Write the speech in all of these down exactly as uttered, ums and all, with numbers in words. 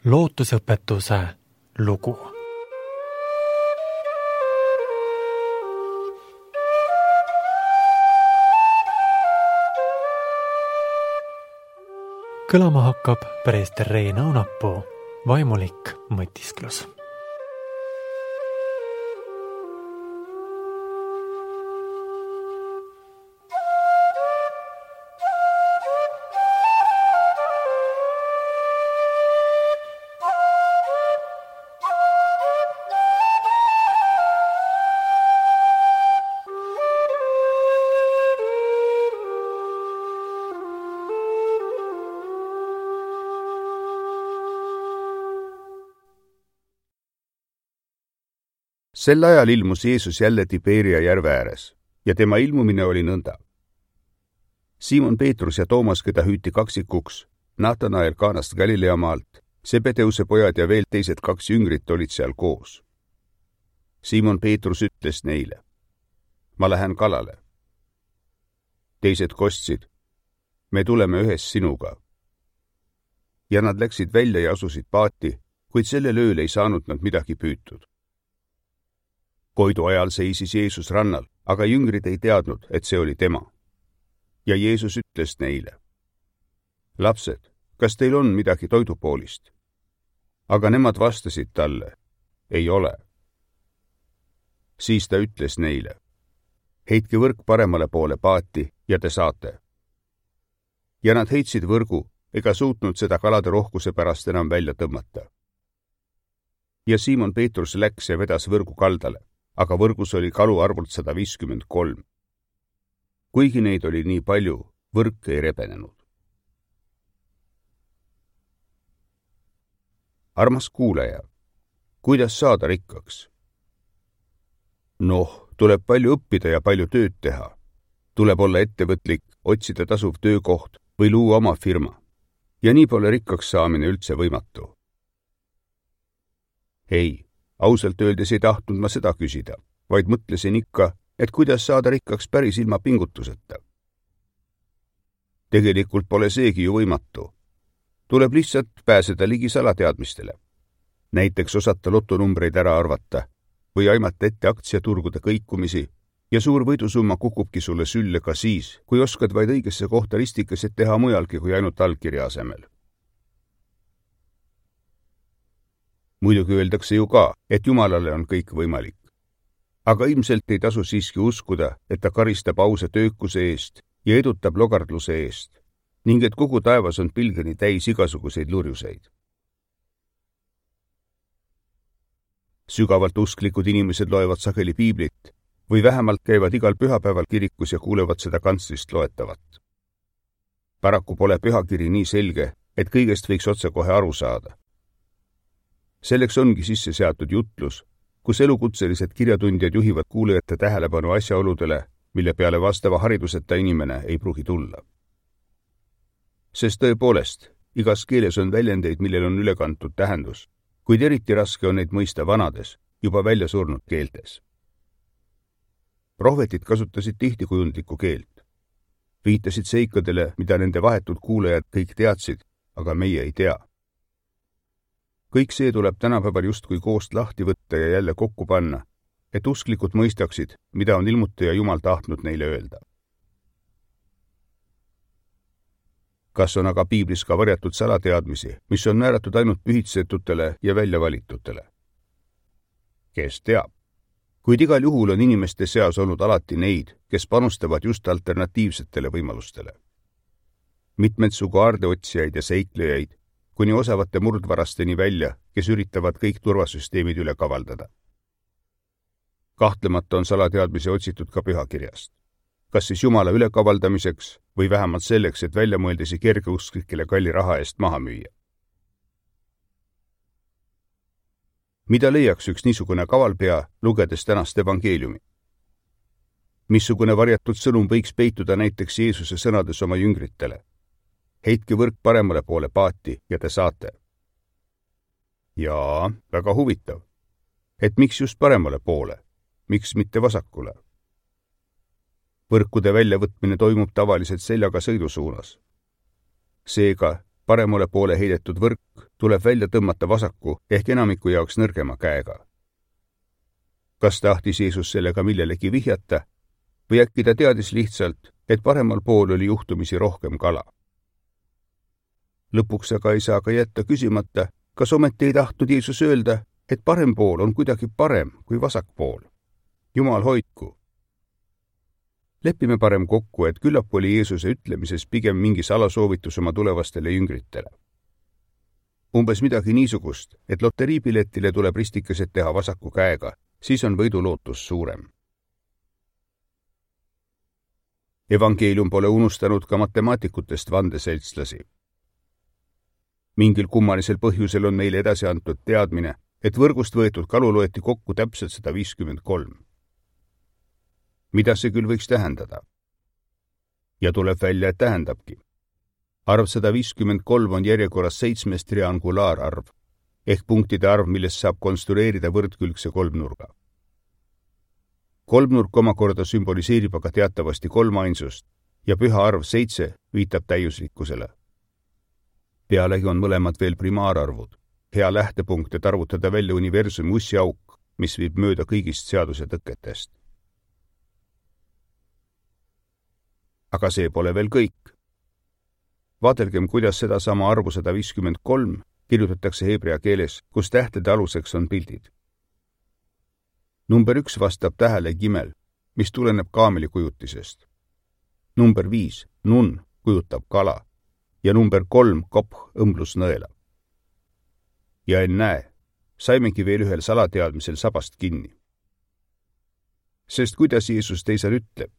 lootusõpetuse lugu. Kõlama hakkab preester Rein Õunapuu vaimulik mõtisklus. Sel ajal ilmus Jeesus jälle Tiberia järve ääres ja tema ilmumine oli nõnda. Simon Peetrus ja Toomas, keda hüüti kaksikuks, Natanael Kaanast Galilea maalt, Sebedeuse pojad ja veel teised kaks jüngrit olid seal koos. Simon Peetrus ütles neile, ma lähen kalale. Teised kostsid, me tuleme ühes sinuga. Ja nad läksid välja ja asusid paati, kuid sellel ööl ei saanud nad midagi püütud. Koidu ajal seisis Jeesus rannal, aga jüngrid ei teadnud, et see oli tema. Ja Jeesus ütles neile, lapsed, kas teil on midagi toidupoolist? Aga nemad vastasid talle, ei ole. Siis ta ütles neile, heitke võrk paremale poole paati ja te saate. Ja nad heitsid võrgu, ega suutnud seda kalade rohkuse pärast enam välja tõmmata. Ja Simon Peetrus läks ja vedas võrgu kaldale, aga võrgus oli kalu arvult sada viiskümmend kolm. Kuigi neid oli nii palju, võrk ei rebenenud. Armas kuulaja, kuidas saada rikkaks? Noh, tuleb palju õppida ja palju tööd teha. Tuleb olla ettevõtlik, otsida tasuv töökoht või luua oma firma. Ja nii pole rikkaks saamine üldse võimatu. Ei. Ausalt öeldes ei tahtnud ma seda küsida, vaid mõtlesin ikka, et kuidas saada rikkaks päris ilma pingutuseta. Tegelikult pole seegi ju võimatu. Tuleb lihtsalt pääseda ligi salateadmistele. Näiteks osata lotonumbreid ära arvata või aimata ette aktsiaturgude kõikumisi ja suur võidusumma kukubki sulle sülle ka siis, kui oskad vaid õigesse kohta ristikeset teha mujalgi kui ainult allkirja asemel. Muidugi öeldakse ju ka, et Jumalale on kõik võimalik. Aga ilmselt ei tasu siiski uskuda, et ta karistab ausa töökuse eest ja edutab logardluse eest, ning et kogu taevas on pilgeni täis igasuguseid lurjuseid. Sügavalt usklikud inimesed loevad sageli piiblit või vähemalt käivad igal pühapäeval kirikus ja kuulevad seda kantslist loetavat. Paraku pole pühakiri nii selge, et kõigest võiks otsekohe aru saada. Selleks ongi sisse seatud jutlus, kus elukutselised kirjatundjad juhivad kuulajate tähelepanu asjaoludele, mille peale vastava hariduseta inimene ei pruugi tulla. Sest tõepoolest, igas keeles on väljendeid, millel on ülekantud tähendus, kuid eriti raske on neid mõista vanades, juba välja surnud keeltes. Prohvetid kasutasid tihti kujundlikku keelt. Viitasid seikadele, mida nende vahetud kuulajad kõik teadsid, aga meie ei tea. Kõik see tuleb tänapäeval justkui koost lahti võtta ja jälle kokku panna, et usklikud mõistaksid, mida on ilmutaja Jumal tahtnud neile öelda. Kas on aga piiblis ka varjatud salateadmisi, mis on määratud ainult pühitsetutele ja väljavalitutele? Kes teab? Kuid igal juhul on inimeste seas olnud alati neid, kes panustavad just alternatiivsetele võimalustele. Mitmed sugu aardeotsijaid ja seiklejaid, kuni osavate murdvarasteni välja, kes üritavad kõik turvasüsteemid üle kavaldada. Kahtlemata on salateadmisi otsitud ka pühakirjast. Kas siis Jumala ülekavaldamiseks või vähemalt selleks, et väljamõeldisi kergeusklikele kalli raha eest maha müüa. Mida leiaks üks niisugune kavalpea, lugedes tänast evangeeliumi? Missugune varjatud sõnum võiks peituda näiteks Jeesuse sõnades oma jüngritele? Heitke võrk paremale poole paati ja te saate. Jaa, väga huvitav. Et miks just paremale poole? Miks mitte vasakule? Võrkude väljavõtmine toimub tavaliselt seljaga sõidusuunas. Seega, paremale poole heidetud võrk tuleb välja tõmmata vasaku ehk enamiku jaoks nõrgema käega. Kas tahtis Jeesus sellega millelegi vihjata või äkki ta teadis lihtsalt, et paremal pool oli juhtumisi rohkem kala? Lõpuks aga ei saa ka jätta küsimata, kas ometi ei tahtnud Jeesus öelda, et parem pool on kuidagi parem kui vasak pool. Jumal hoidku! Lepime parem kokku, et küllap oli Jeesuse ütlemises pigem mingi salasoovitus oma tulevastele jüngritele. Umbes midagi niisugust, et loteriipiletile tuleb ristikesed teha vasaku käega, siis on võidulootus suurem. Evangeelium pole unustanud ka matemaatikutest vandeseltslasi. Mingil kummalisel põhjusel on neile edasi antud teadmine, et võrgust võetud kalu loeti kokku täpselt sada viiskümmend kolm. Mida see küll võiks tähendada? Ja tuleb välja, et tähendabki. Arv sada viiskümmend kolm on järjekorras seitsmes triangulaararv, ehk punktide arv, millest saab konstrueerida võrdkülgse kolmnurga. Kolmnurk omakorda sümboliseerib aga teatavasti kolmainsust ja püha arv seitse viitab täiuslikkusele. Pealegi on mõlemad veel primaararvud, hea lähtepunkt, et arvutada välja universumi ussiauk, mis viib mööda kõigist seaduse tõketest. Aga see pole veel kõik. Vaadelgem, kuidas seda sama arvu sada viiskümmend kolm kirjutatakse heebrea keeles, kus tähtede aluseks on pildid. Number üks vastab tähele gimel, mis tuleneb kaameli kujutisest. Number viis, nun, kujutab kala ja number kolm, koph, õmblusnõela. Ja ennäe, saimegi veel ühel salateadmisel sabast kinni. Sest kuidas Jeesus teisel ütleb?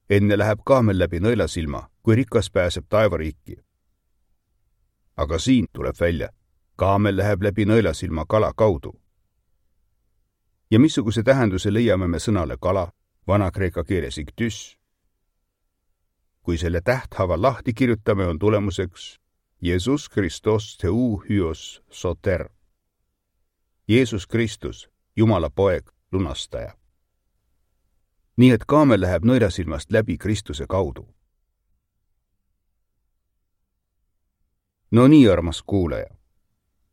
Enne läheb kaamel läbi nõelasilma, kui rikas pääseb taevariiki. Aga siin tuleb välja, kaamel läheb läbi nõelasilma kala kaudu. Ja missuguse tähenduse leiame me sõnale kala, vana-kreeka keeles iktüs? Kui selle tähthava lahti kirjutame, on tulemuseks Jeesus Kristos Theou Hyos Soter. Jeesus Kristus, Jumala poeg, lunastaja. Nii et kaamel läheb nõelasilmast läbi Kristuse kaudu. No nii, armas kuulaja.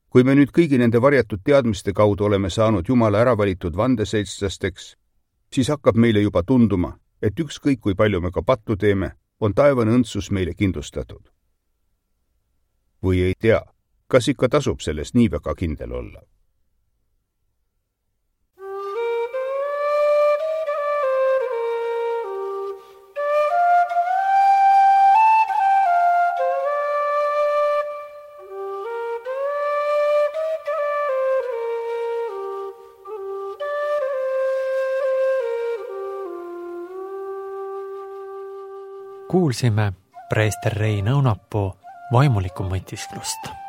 Kui me nüüd kõigi nende varjatud teadmiste kaudu oleme saanud Jumala äravalitud vandeseltslasteks, siis hakkab meile juba tunduma, et ükskõik kui palju me ka pattu teeme, on taevane õndsus meile kindlustatud. Või ei tea, kas ikka tasub sellest nii väga kindel olla? Kuulsime preester Reina Õunapuu vaimulikku mõtisklust.